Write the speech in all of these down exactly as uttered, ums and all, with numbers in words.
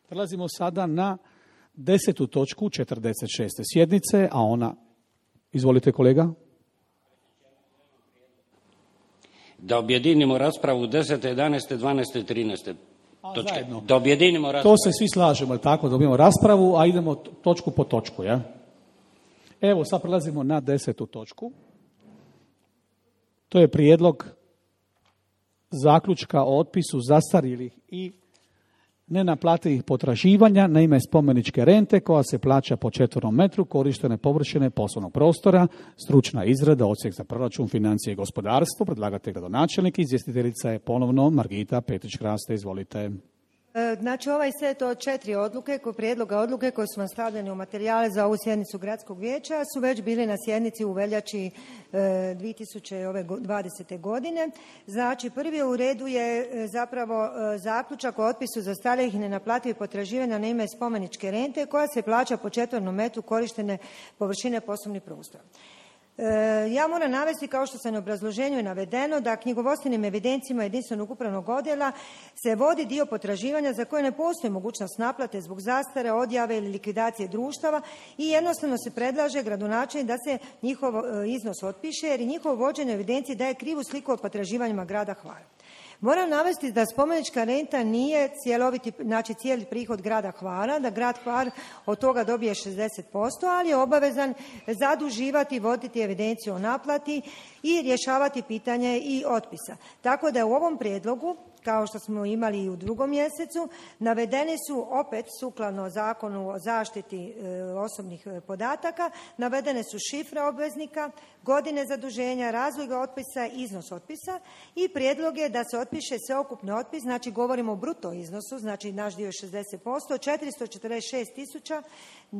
Prelazimo sada na desetu točku četrdeset šeste sjednice, a ona, izvolite kolega. Da objedinimo raspravu desete, jedanaeste, dvanaeste, trinaeste točke. Zajedno. Da objedinimo raspravu. To se svi slažemo, je tako, da objedinimo raspravu, a idemo točku po točku, ja? Evo, sad prelazimo na desetu točku. To je prijedlog zaključka o otpisu zastarjelih i nenaplativih potraživanja na ime spomeničke rente koja se plaća po četvornom metru korištene površine poslovnog prostora, stručna izrada, odsjek za proračun, financije i gospodarstvo, predlagatelj gradonačelnik, izvjestiteljica je ponovno Margita Petrić-Kraste, izvolite. Znači, ovaj set od četiri odluke, prijedloga odluke koji su vam stavljeni u materijale za ovu sjednicu gradskog vijeća su već bili na sjednici u veljači dvije tisuće dvadesete. godine. Znači, prvi u redu je zapravo zaključak o otpisu zastarjelih i nenaplativih potraživanja na ime spomeničke rente koja se plaća po četvornom metru korištene površine poslovnih prostora. Ja moram navesti, kao što sam u obrazloženju je navedeno, da knjigovodstvenim evidencijama jedinstvenog upravnog odjela se vodi dio potraživanja za koje ne postoji mogućnost naplate zbog zastare, odjave ili likvidacije društava i jednostavno se predlaže gradonačelnik da se njihov iznos otpiše jer i njihovo vođenje evidencije daje krivu sliku o potraživanjima grada Hvara. Moram navesti da spomenička renta nije cjeloviti, znači cijeli prihod grada Hvara, da grad Hvar od toga dobije šezdeset posto, ali je obavezan zaduživati, voditi evidenciju o naplati i rješavati pitanje i otpisa. Tako da u ovom prijedlogu, kao što smo imali i u drugom mjesecu, navedeni su opet sukladno Zakonu o zaštiti e, osobnih podataka, navedene su šifre obveznika, godine zaduženja, razlog otpisa, iznos otpisa i prijedlog je da se otpiše sveukupni otpis, znači govorimo o bruto iznosu, znači naš dio je šezdeset posto, četiristo četrdeset šest tisuća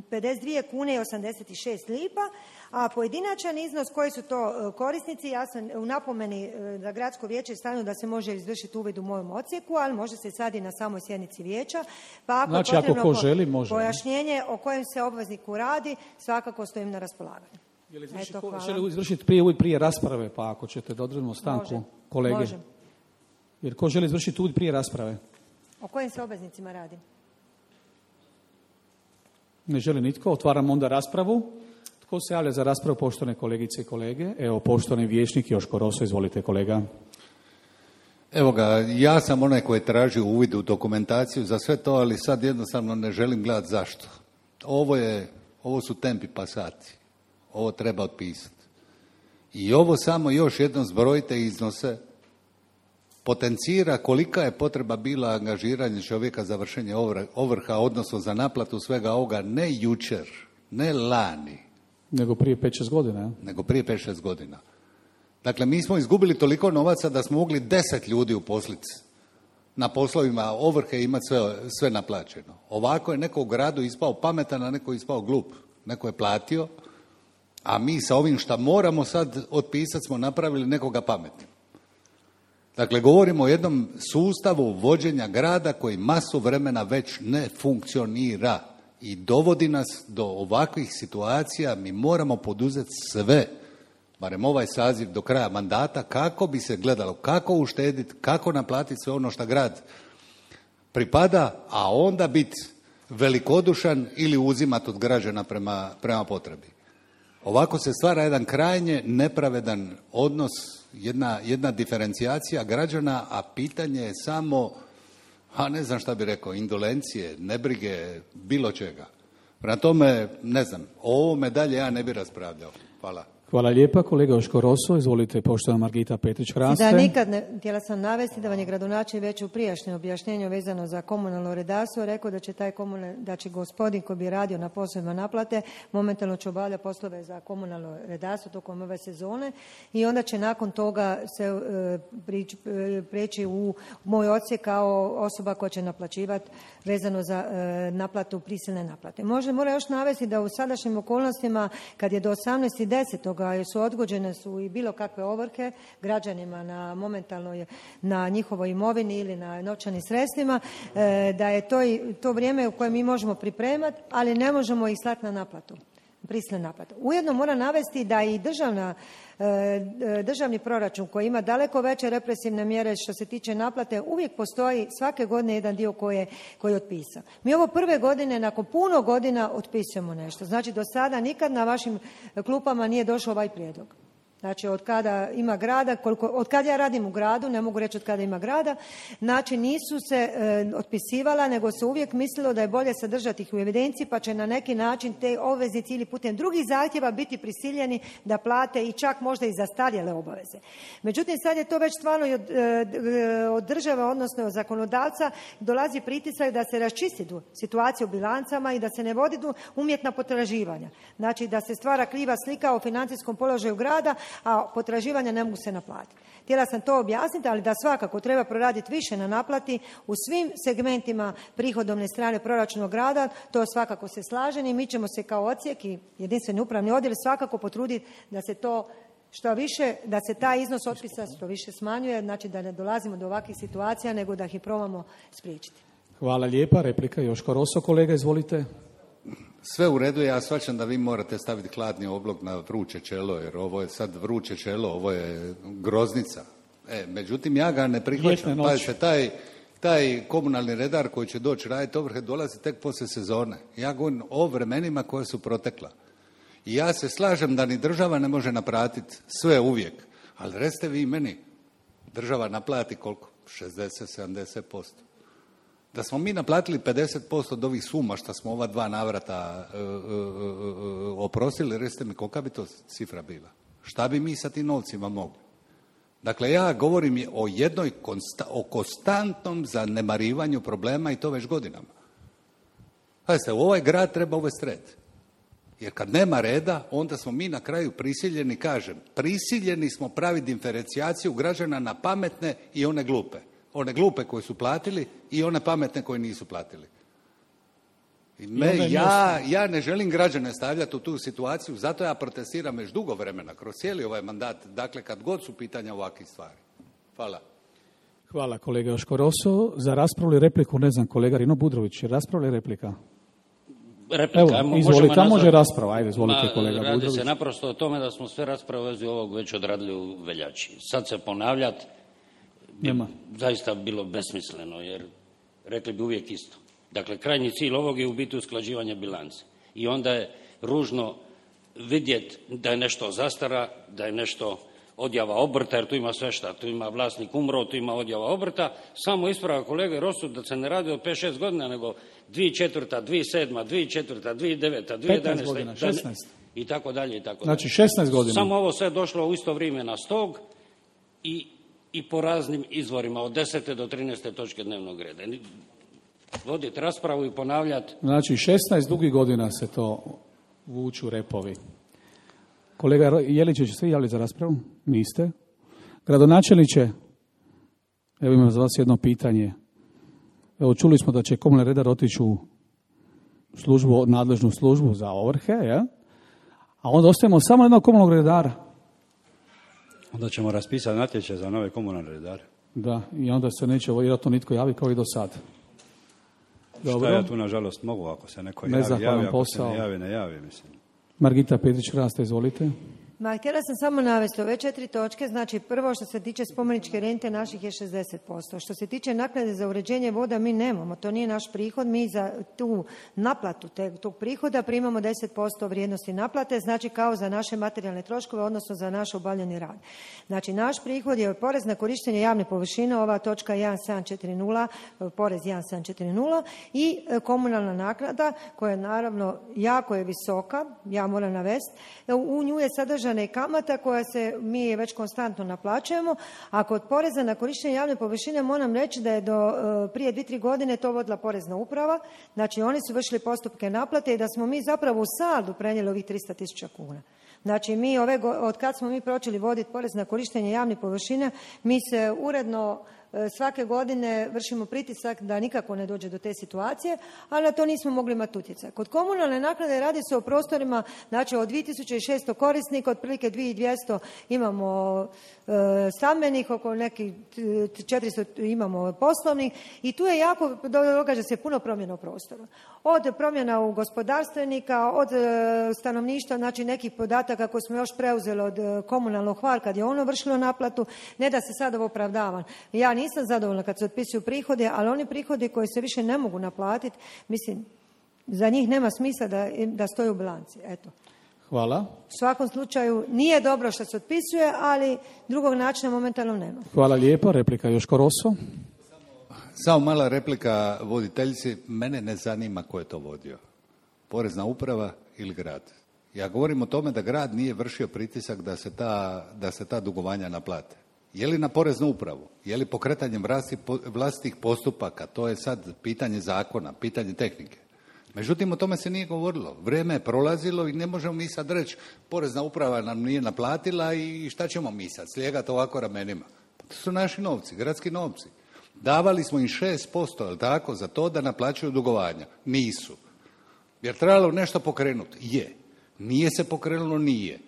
pedeset dvije kune i osamdeset šest lipa, a pojedinačan iznos koji su to korisnici, ja sam u napomeni za gradsko vijeće stavljeno da se može izvršiti uvid u mojem odsjeku, ali može se sad i na samoj sjednici vijeća, pa ako znači, je potrebno ako ko želi, može. Pojašnjenje o kojem se obvezniku radi, svakako stojim na raspolaganju. Je li izvrši, Eto, ko, želi izvršiti prije, uvid prije rasprave, pa ako ćete da odredimo stanku, može. kolege. Može. Jer ko želi izvršiti uvid prije rasprave? O kojim se obveznicima radi? Ne želi nitko. Otvaram onda raspravu. Tko se javlja za raspravu, poštovane kolegice i kolege? Evo, poštovani vijećnik Joško Roso, izvolite kolega. Evo ga, ja sam onaj koji je tražio uvid u dokumentaciju za sve to, ali sad jednostavno ne želim gledati zašto. Ovo, je, ovo su tempi pasati. Ovo treba otpisati. I ovo samo još jednom zbrojite iznose, potencira kolika je potreba bila angažiranja čovjeka za vršenje ovrha, odnosno za naplatu svega ovoga, ne jučer, ne lani. Nego prije pet šest godina. Ja? Nego prije pet šest godina. Dakle, mi smo izgubili toliko novaca da smo mogli deset ljudi uposliti na poslovima ovrhe i imati sve, sve naplaćeno. Ovako je neko u gradu ispao pametan, a neko je ispao glup. Neko je platio, a mi sa ovim šta moramo sad otpisati smo napravili nekoga pametnim. Dakle, govorimo o jednom sustavu vođenja grada koji masu vremena već ne funkcionira i dovodi nas do ovakvih situacija. Mi moramo poduzeti sve, barem ovaj saziv do kraja mandata, kako bi se gledalo, kako uštediti, kako naplatiti sve ono što grad pripada, a onda biti velikodušan ili uzimati od građana prema, prema potrebi. Ovako se stvara jedan krajnje nepravedan odnos, jedna, jedna diferencijacija građana, a pitanje je samo, a ne znam šta bi rekao, indolencije, nebrige, bilo čega. Prema tome, ne znam, o ovome dalje ja ne bi raspravljao. Hvala. Hvala lijepa. Kolega Joško Roso, izvolite, poštovana Margita Petrić-Kraste. Da, nikad ne, htjela sam navesti da vam je gradonačelnik već u prijašnjem objašnjenju vezano za komunalno redarstvo rekao da će taj komunal, da će gospodin koji bi radio na poslovima naplate momentalno će obavljati poslove za komunalno redarstvo tokom ove sezone i onda će nakon toga se e, prič, e, preći u moj odsjek kao osoba koja će naplaćivati vezano za e, naplatu prisilne naplate. Može, mora još navesti da u sadašnjim okolnostima kad je do osamnaestog desetog su odgođene su i bilo kakve ovrhe građanima na momentalno na njihovoj imovini ili na novčanim sredstvima, da je to, to vrijeme u kojem mi možemo pripremati, ali ne možemo ih slati na naplatu. prisilne naplate. Ujedno mora navesti da i državna, državni proračun koji ima daleko veće represivne mjere što se tiče naplate, uvijek postoji svake godine jedan dio koji je, koji je otpisan. Mi ovo prve godine, nakon puno godina, otpisujemo nešto. Znači, do sada nikad na vašim klupama nije došao ovaj prijedlog. Znači, od kada ima grada, koliko, od kada ja radim u gradu, ne mogu reći od kada ima grada, znači nisu se e, otpisivala, nego se uvijek mislilo da je bolje sadržati ih u evidenciji, pa će na neki način te obveznici ili putem drugih zahtjeva biti prisiljeni da plate i čak možda i zastarjele obaveze. Međutim, sad je to već stvarno i od, e, od države, odnosno od zakonodavca, dolazi pritisak da se raščisti situacija u bilancama i da se ne vodi umjetna potraživanja. Znači, da se stvara kriva slika o financijskom položaju grada, a potraživanja ne mogu se naplatiti. Htjela sam to objasniti, ali da svakako treba proraditi više na naplati u svim segmentima prihodovne strane proračuna grada, to svakako se slažem i mi ćemo se kao odsjek i jedinstveni upravni odjel svakako potruditi da se to što više, da se taj iznos otpisa što više smanjuje, znači da ne dolazimo do ovakvih situacija, nego da ih probamo spriječiti. Hvala lijepa. Replika Joško Roso, kolega, izvolite. Sve u redu, ja shvaćam da vi morate staviti hladni oblog na vruće čelo, jer ovo je sad vruće čelo, ovo je groznica. E, međutim, ja ga ne prihvaćam. Pazite, taj, taj komunalni redar koji će doći raditi ovrhe dolazi tek poslije sezone. Ja govorim o vremenima koja su protekla. I ja se slažem da ni država ne može naplatiti sve uvijek, ali recite vi meni, država naplati koliko? šezdeset do sedamdeset posto. Da smo mi naplatili pedeset posto od ovih suma što smo ova dva navrata e, e, e, oprostili, recite mi kolika bi to cifra bila? Šta bi mi sa tim novcima mogli? Dakle, ja govorim o jednoj konsta, o konstantnom zanemarivanju problema i to već godinama. Pazite, u ovaj grad treba uvesti red. Jer kad nema reda, onda smo mi na kraju prisiljeni, kažem, prisiljeni smo praviti diferencijaciju građana na pametne i one glupe. One glupe koje su platili i one pametne koje nisu platili. I me, ja, ja ne želim građane stavljati u tu situaciju, zato ja protestiram već dugo vremena, kroz cijeli ovaj mandat, dakle kad god su pitanja ovakvih stvari. Hvala. Hvala kolega Joško Roso. Za raspravu ili repliku, ne znam, kolega Rino Budrović, rasprava ili replika? Replika. Evo, izvolite, tamo može rasprava, ajde, izvolite kolega Radi Budrović. se naprosto o tome da smo sve rasprave u vezi ovog već odradili u veljači. Sad se ponavljati bi Nema. zaista bilo besmisleno, jer rekli bi uvijek isto. Dakle, krajnji cilj ovog je u biti usklađivanje bilance. I onda je ružno vidjeti da je nešto zastara, da je nešto odjava obrta, jer tu ima sve šta. Tu ima vlasnik umro, tu ima odjava obrta. Samo isprava kolege Rosu da se ne radi od pet šest godina, nego dvije tisuće četvrta, dvije tisuće sedma, dvije tisuće četvrta, dvije tisuće deveta, dvije tisuće jedanaesta. petnaest godina, šesnaest. I tako dalje, i tako dalje. Znači šesnaest godina. Samo ovo sve došlo u isto vrijeme na stog i, i po raznim izvorima, od desete do trinaeste točke dnevnog reda. Voditi raspravu i ponavljati. Znači šesnaest dugih godina se to vuču repovi. Kolega Jelić, ste javili za raspravu? Niste. Gradonačelniče, evo imam za vas jedno pitanje. Evo čuli smo da će komunalni redar otići u službu, nadležnu službu za ovrhe, ja? A onda ostajemo samo jednog komunalnog redara. Onda ćemo raspisati natječaj za nove komunalne redare. Da, i onda se neće vjerojatno nitko javi kao i do sad. Dobro. Šta ja tu nažalost mogu, ako se neko javi, javi, ako posao. se ne javi, ne javi, mislim. Margita Petrić-Rasta, izvolite. Ma, htjela sam samo navesti ove četiri točke. Znači, prvo što se tiče spomeničke rente naših je šezdeset posto. Što se tiče naknade za uređenje voda, mi nemamo. To nije naš prihod. Mi za tu naplatu te, tog prihoda primamo deset posto vrijednosti naplate, znači kao za naše materijalne troškove, odnosno za naš obavljeni rad. Znači, naš prihod je porez na korištenje javne površine, ova točka jedan sedam četiri nula, porez jedan sedam četiri nula i komunalna naknada koja je naravno jako je visoka, ja moram navesti. U nju je sadržana i kamata koja se mi je već konstantno naplaćujemo, a kod poreza na korištenje javne površine moram reći da je do prije dvije, tri godine to vodila porezna uprava, znači oni su vršili postupke naplate i da smo mi zapravo u saldu prenijeli ovih tristo tisuća kuna. Znači mi ove, od kad smo mi počeli voditi porez na korištenje javnih površina, mi se uredno svake godine vršimo pritisak da nikako ne dođe do te situacije, ali na to nismo mogli imati utjecaj. Kod komunalne naknade radi se o prostorima, znači od dvije tisuće šesto korisnika, otprilike dvije tisuće dvjesto imamo e, stambenih, oko nekih četiristo imamo poslovnih i tu je jako, događa se puno promjena u prostoru. Od promjena u gospodarstvenika, od e, stanovništva, znači nekih podataka koje smo još preuzeli od e, komunalnog hvar kad je ono vršilo naplatu, ne da se sad ovo opravdavam. Ja nisam zadovoljna kad se otpisuju prihode, ali oni prihodi koji se više ne mogu naplatiti, mislim, za njih nema smisla da, da stoji u bilanci. Eto. Hvala. U svakom slučaju nije dobro što se otpisuje, ali drugog načina momentalno nema. Hvala lijepo. Replika Joško Rosso. Samo mala replika voditeljici. Mene ne zanima ko je to vodio. Porezna uprava ili grad. Ja govorim o tome da grad nije vršio pritisak da se ta, da se ta dugovanja naplate. Je li na poreznu upravu? Je li pokretanjem vlastitih postupaka? To je sad pitanje zakona, pitanje tehnike. Međutim, o tome se nije govorilo. Vrijeme je prolazilo i ne možemo mi sad reći porezna uprava nam nije naplatila i šta ćemo mi sad slijegati ovako ramenima. To su naši novci, gradski novci. Davali smo im šest posto, je li tako, za to da naplaćuju dugovanja. Nisu. Jer trebalo nešto pokrenuti. Je. Nije se pokrenulo, nije.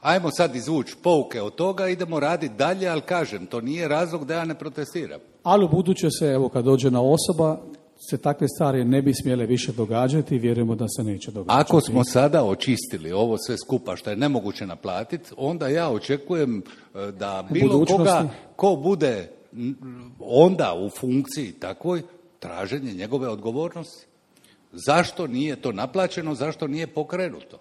Ajmo sad izvući pouke od toga, idemo raditi dalje, ali kažem, to nije razlog da ja ne protestiram. Ali u buduće se, evo kad dođe na osoba, se takve stvari ne bi smjele više događati i vjerujemo da se neće događati. Ako smo sada očistili ovo sve skupa što je nemoguće naplatiti, onda ja očekujem da bilo koga ko bude onda u funkciji takvoj, traženje njegove odgovornosti. Zašto nije to naplaćeno, zašto nije pokrenuto?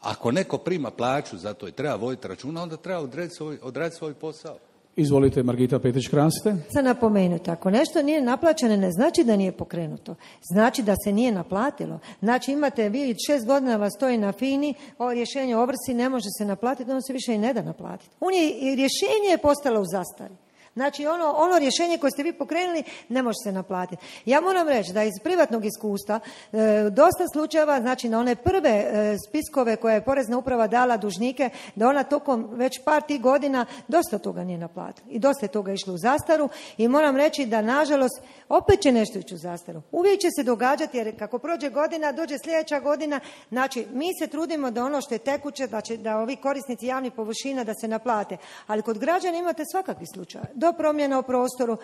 Ako neko prima plaću za to i treba voditi računa, onda treba odraditi svoj, odraditi svoj posao. Izvolite, Margita Petrić-Kraste. Sad napomenuti, ako nešto nije naplaćeno, ne znači da nije pokrenuto. Znači da se nije naplatilo. Znači imate, vi šest godina vas stoji na FINI, ovo rješenje o ovrsi ne može se naplatiti, ono se više i ne da naplatiti. On je, rješenje je postalo u zastari. Znači ono, ono rješenje koje ste vi pokrenuli ne može se naplatiti. Ja moram reći da iz privatnog iskustva e, dosta slučajeva, znači na one prve e, spiskove koje je Porezna uprava dala dužnike, da ona tokom već par tih godina dosta toga nije naplatila. I dosta je toga išlo u zastaru i moram reći da nažalost opet će nešto ići u zastaru. Uvijek će se događati jer kako prođe godina, dođe sljedeća godina, znači mi se trudimo da ono što je tekuće, da, će, da ovi korisnici javnih površina da se naplate. Ali kod građana imate svakakvi slučaj. Do promjena u prostoru,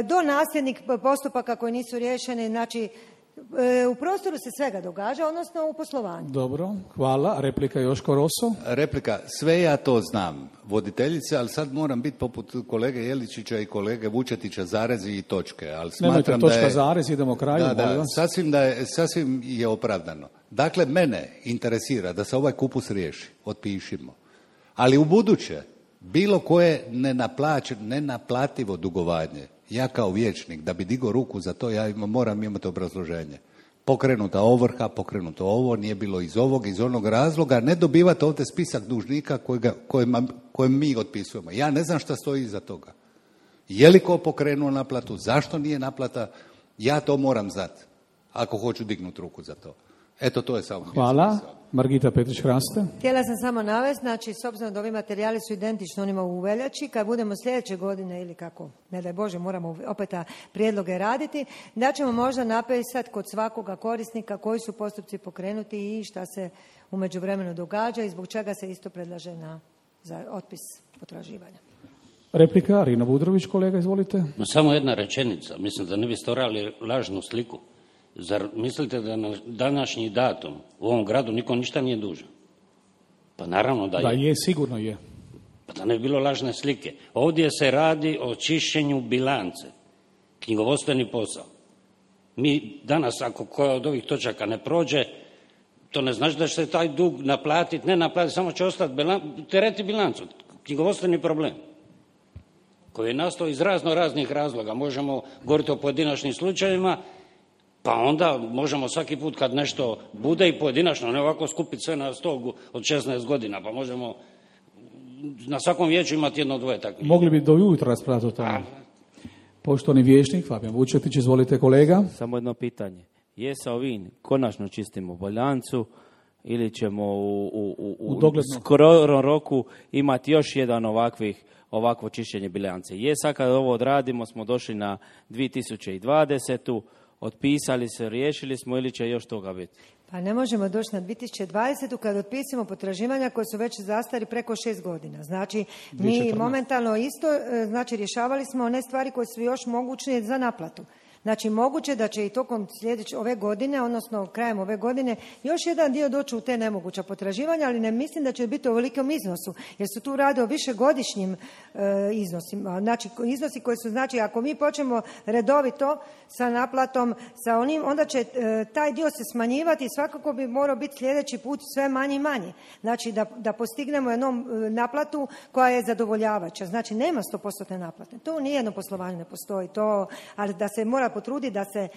do nasljednih postupaka koji nisu riješeni, znači u prostoru se svega događa, odnosno u poslovanju. Dobro, hvala. Replika Joško Rosso. Replika, sve ja to znam, voditeljice, ali sad moram biti poput kolege Jeličića i kolege Vučetića, zarezi i točke. Ali nemojte točka da je, zarez, idemo kraju. Da, da, sasvim, da je, sasvim je opravdano. Dakle, mene interesira da se ovaj kupus riješi, otpišimo. Ali u buduće, bilo koje nenaplaćeno, nenaplativo dugovanje, ja kao vijećnik, da bi digao ruku za to, ja imam, moram imati obrazloženje. Pokrenuta ovrha, pokrenuto ovo, nije bilo iz ovog, iz onog razloga, ne dobivate ovdje spisak dužnika kojega, kojima, kojim mi otpisujemo. Ja ne znam šta stoji iza toga. Je li ko pokrenuo naplatu, zašto nije naplata, ja to moram znati, ako hoću dignuti ruku za to. Eto, to je samo. Hvala. Margita Petrić-Kraste. Htjela sam samo navesti, znači, s obzirom da ovi materijali su identični onima u veljači, kad budemo sljedeće godine ili kako, ne daj Bože, moramo opet prijedloge raditi, da ćemo možda napisati kod svakoga korisnika koji su postupci pokrenuti i šta se u međuvremenu događa i zbog čega se isto predlaže na, za otpis potraživanja. Replika, Rino Budrović, kolega, izvolite. Samo jedna rečenica, mislim da ne bi stvarali lažnu sliku. Zar mislite da na današnji datum u ovom gradu niko ništa nije dužan? Pa naravno da je. Da je, sigurno je. Pa da ne bi bilo lažne slike. Ovdje se radi o čišćenju bilance. Knjigovodstveni posao. Mi danas, ako koja od ovih točaka ne prođe, to ne znači da će se taj dug naplatiti, ne naplatiti, samo će ostati bilan, tereti bilancu. Knjigovodstveni problem koji je nastao iz razno raznih razloga. Možemo govoriti o pojedinačnim slučajevima, pa onda možemo svaki put kad nešto bude i pojedinačno, ne ovako skupiti sve na stol od šesnaest godina, pa možemo na svakom vijeću imati jedno dvoje takvih. Mogli bi do jutra raspraviti o tome. Poštovani vijećnik, Fabijan Vučetić, izvolite kolega. Samo jedno pitanje. Je sa ovim konačno čistimo bilancu ili ćemo u, u, u, u, u skorom roku imati još jedan ovakvih ovakvo čišćenje bilance. Je, sad kad ovo odradimo smo došli na dvije tisuće dvadesetu, otpisali se, riješili smo ili će još toga biti? Pa ne možemo doći na dvije tisuće dvadesetu kad otpisimo potraživanja koje su već zastari preko šest godina. Znači, mi momentalno isto, znači rješavali smo one stvari koje su još moguće za naplatu. Znači, moguće da će i tokom sljedeće ove godine, odnosno krajem ove godine, još jedan dio doći u te nemoguća potraživanja, ali ne mislim da će biti u ovolikom iznosu, jer se tu radi o višegodišnjim e, iznosima. Znači, iznosi koji su, znači, ako mi počnemo redovito sa naplatom, sa onim, onda će e, taj dio se smanjivati i svakako bi morao biti sljedeći put sve manje i manje. Znači, da, da postignemo jednom e, naplatu koja je zadovoljavajuća. Znači, nema sto posto naplate. To nijedno poslovanje ne postoji, to, ali da se mora potrudi da se,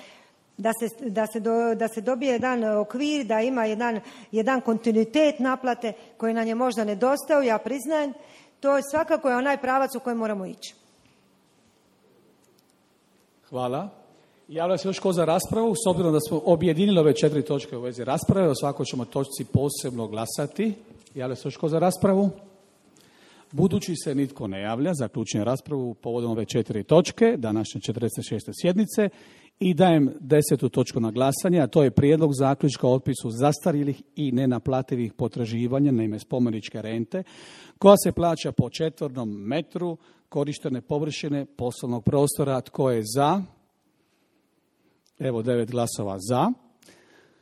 da se, da se, do, da se dobije jedan okvir, da ima jedan, jedan kontinuitet naplate koji nam je možda nedostao, ja priznajem, to je svakako je onaj pravac u kojem moramo ići. Hvala. Javlja se još ko za raspravu, s obzirom da smo objedinili ove četiri točke u vezi rasprave, o svakoj ćemo točci posebno glasati. Javlja se još ko za raspravu? Budući se nitko ne javlja, zaključujem raspravu povodom ove četiri točke današnje četrdeset šeste sjednice i dajem desetu točku na glasanje, a to je prijedlog zaključka o otpisu zastarjelih i nenaplativih potraživanja na ime spomeničke rente koja se plaća po četvornom metru korištene površine poslovnog prostora. Tko je za? Evo devet glasova za.